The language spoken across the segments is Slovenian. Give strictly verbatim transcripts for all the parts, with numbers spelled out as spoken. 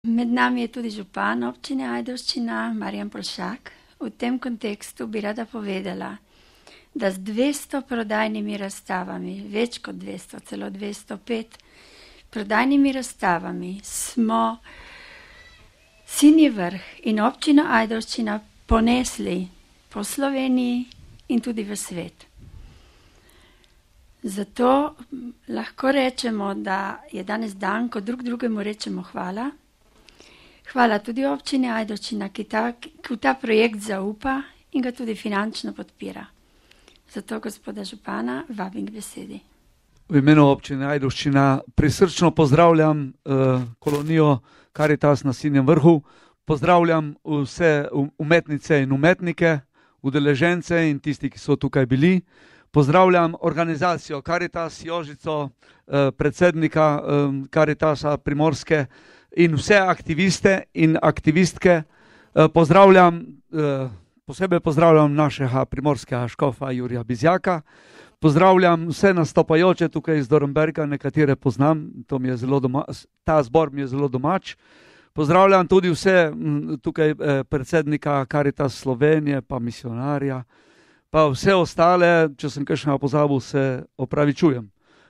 Med nami je tudi župan občine Ajdovščina, Marjan Polšak. V tem kontekstu bi rada povedala, da z dvesto prodajnimi razstavami, več kot dvesto, celo dvesto pet prodajnimi razstavami, smo Sinji Vrh in občino Ajdovščina ponesli po Sloveniji in tudi v svet. Zato lahko rečemo, da je danes dan, ko drug drugemu rečemo hvala. Hvala tudi občini Ajdovščina, ki ta, ki ta projekt zaupa in ga tudi finančno podpira. Zato, gospoda župana, vabim k besedi. V imenu občine Ajdovščina prisrčno pozdravljam uh, kolonijo Karitas na Sinjem Vrhu, pozdravljam vse umetnice in umetnike, udeležence in tisti, ki so tukaj bili. Pozdravljam organizacijo Karitas, Jožico, uh, predsednika uh, Karitasa Primorske in vse aktiviste in aktivistke. Uh, pozdravljam, uh, posebej pozdravljam našega primorskega škofa Jurija Bizjaka. Pozdravljam vse nastopajoče tukaj iz Dornberga, nekatere poznam, to mi je zelo doma, ta zbor mi je zelo domač. Pozdravljam tudi vse tukaj eh, predsednika Karitas Slovenije, pa misionarja, pa vse ostale, če sem kakšnega pozabil, se opravičujem.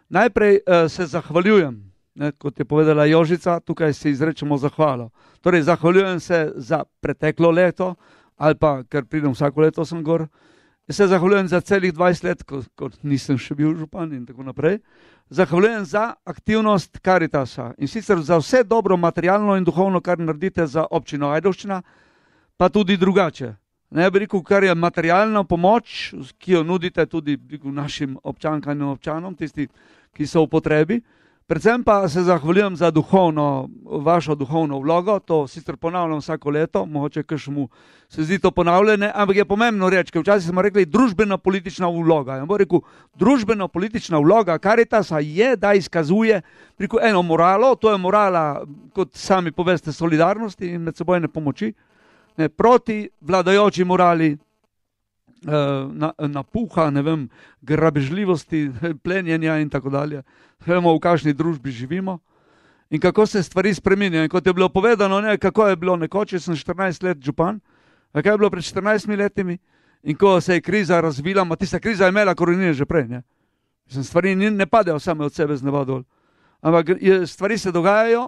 Najprej eh, se zahvaljujem, ne, kot je povedala Jožica, tukaj se izrečemo zahvalo. Torej, zahvaljujem se za preteklo leto, ali pa, ker pridem vsako leto sem gor, se zahvaljujem za celih dvajset let, ko, ko nisem še bil župan in tako naprej. Zahvaljujem za aktivnost Karitasa in sicer za vse dobro materialno in duhovno, kar naredite za občino Ajdovščina, pa tudi drugače. Ne bi rekel, kar je materialna pomoč, ki jo nudite tudi našim občankam in občanom, tisti, ki so v potrebi. Predvsem pa se zahvaljujem za duhovno, vašo duhovno vlogo, to sicer ponavljam vsako leto, mogoče kakšnemu se zdi to ponavljanje, ampak je pomembno reči, ker včasih smo rekli družbeno-politična vloga. Ja bom rekel, družbeno-politična vloga Karitasa je, da izkazuje rekel, eno moralo, to je morala, kot sami poveste, solidarnosti in medsebojne pomoči, ne, proti vladajoči morali, Na, napuha, ne vem, grabežljivosti, plenjenja in tako dalje. Vemo, v kakšni družbi živimo in kako se stvari spreminjajo. In kot je bilo povedano, ne, kako je bilo nekoč, sem štirinajst let župan, kaj je bilo pred štirinajstimi letimi in ko se je kriza razvila, ma tista kriza je imela korenine že prej. Ne. Stvari ne padejo same od sebe z neba dol. Ampak je, stvari se dogajajo,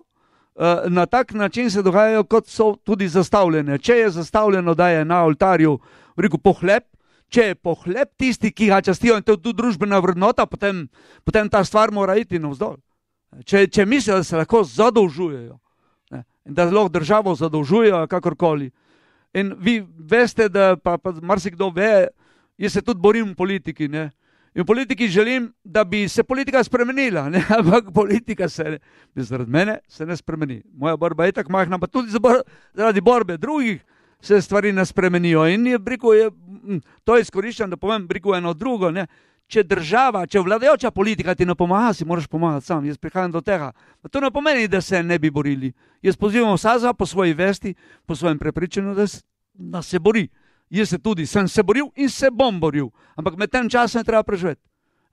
na tak način se dogajajo, kot so tudi zastavljene. Če je zastavljeno, da je na oltarju rekel pohleb, če je pohleb tisti, ki ga častijo in to je tudi družbena vrednota, potem, potem ta stvar mora iti navzdol. Če, če mislijo, da se lahko zadolžujejo, ne, in da lahko državo zadolžujejo, kakorkoli. In vi veste, da pa, pa marsikdo ve, jaz se tudi borim v politiki, ne. In v politiki želim, da bi se politika spremenila, ne, ampak politika se, zaradi mene, se ne spremeni. Moja borba je tako majhna, pa tudi zaradi borbe drugih se stvari ne spremenijo. In je, briku, je, to izkoriščam, da povem briku eno drugo. Ne. Če država, če vladajoča politika ti ne pomaga, si moraš pomagati sam. Jaz prihajam do tega. To ne pomeni, da se ne bi borili. Jaz pozivam vsaza po svoji vesti, po svojem prepričanju, da, da se bori. Jaz se tudi sem se boril in se bom boril. Ampak med tem časom je treba preživeti.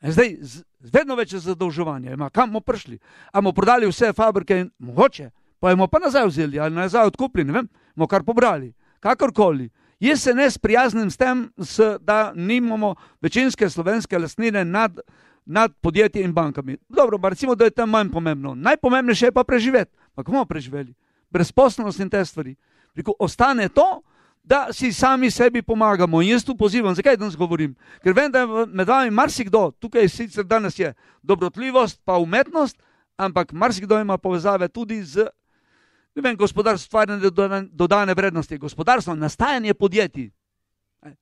Zdaj, z, vedno več je zadolževanje. Ima, kam bomo prišli? A bomo prodali vse fabrike in mogoče, pa bomo pa nazaj vzeli ali nazaj odkupili, ne vem, bomo kar pobrali. Kakorkoli. Jaz se ne sprijaznim s tem, da nimamo večinske slovenske lastnine nad, nad podjetji in bankami. Dobro, pa recimo, da je tam manj pomembno. Najpomembnejše je pa preživeti. Pa kako bomo preživeli? Brezposelnost in te stvari. Preko ostane to, da si sami sebi pomagamo. In jaz tu pozivam, zakaj danes govorim? Ker vem, da je med vami marsikdo, tukaj sicer danes je dobrotljivost pa umetnost, ampak marsikdo ima povezave tudi z ne vem, gospodarstvo, stvarjanje dodane vrednosti, gospodarstvo, nastajanje podjetij.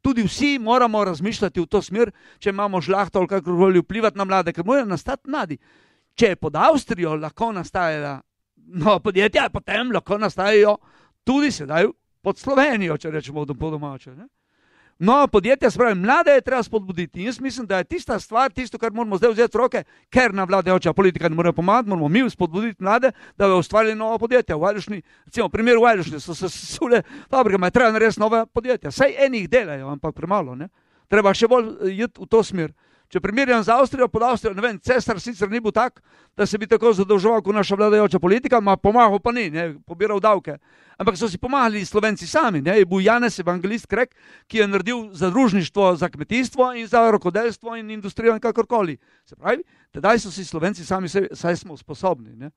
Tudi vsi moramo razmišljati v to smer, če imamo žlahto ali kakorkoli vplivati na mlade, ker morajo nastati mladi. Če je pod Avstrijo lahko nastajala no, podjetja, potem lahko nastajajo tudi sedaj pod Slovenijo, če rečemo po domače. Ne? No, podjetja, spravi, mlade je treba spodbuditi. In jaz mislim, da je tista stvar, tisto, kar moramo zdaj vzeti v roke, ker na vladajoča politika ne more pomagati, moramo mi spodbuditi mlade, da bi ustvarili nova podjetja. V Ajdovščini, recimo, primer v Ajdovščini so se sesule fabrike, ma je treba narediti nove podjetja. Saj enih delajo, ampak premalo, ne? Treba še bolj iti v to smer. Če primerjam z Avstrijo, pod Avstrijo, ne vem, cesar sicer ni bil tak, da se bi tako zadolževal kot naša vladajoča politika, ma pomagal pa ni, ne, pobiral davke. Ampak so si pomagali Slovenci sami, ne, je bil Janez Evangelist Krek, ki je naredil zadružništvo za kmetijstvo in za rokodelstvo in industrijo in kakorkoli. Se pravi, tedaj so si Slovenci sami sebi, saj smo sposobni, ne.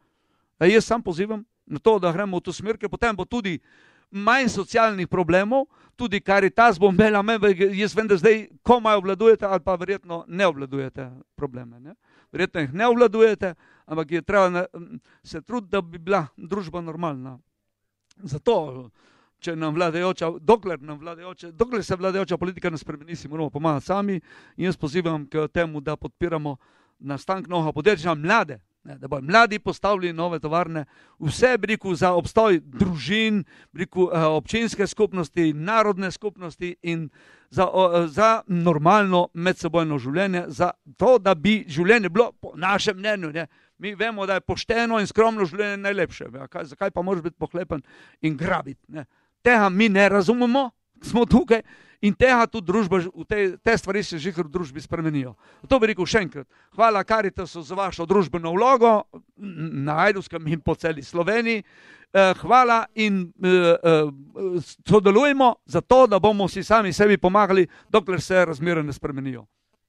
A jaz sam pozivam na to, da gremo v to smer, ker potem bo tudi manj socialnih problemov, tudi Karitas bo imela, jaz vem, da zdaj komaj obvladujete ali pa verjetno ne obvladujete probleme. Ne? Verjetno jih ne obvladujete, ampak je treba se truditi, da bi bila družba normalna. Zato, če nam vladajoča, dokler, nam vladajoča, dokler se vladajoča politika ne spremeni, si moramo pomagati sami in jaz pozivam k temu, da podpiramo nastanek novega podjetja, mlade, ne, da bodo mladi postavili nove tovarne, vse briku za obstoj družin, briku občinske skupnosti, narodne skupnosti in za, za normalno medsebojno življenje, za to, da bi življenje bilo po našem mnenju. Ne. Mi vemo, da je pošteno in skromno življenje najlepše. Kaj, zakaj pa moraš biti pohlepen in grabiti? Ne. Tega mi ne razumemo, smo tukaj. In tega tudi družba, te, te stvari se že v družbi spremenijo. To bi rekel še enkrat. Hvala Karitasu za vašo družbeno vlogo na Ajdovskem in po celi Sloveniji. Hvala in sodelujemo za to, da bomo si sami sebi pomagali, dokler se razmere ne spremenijo.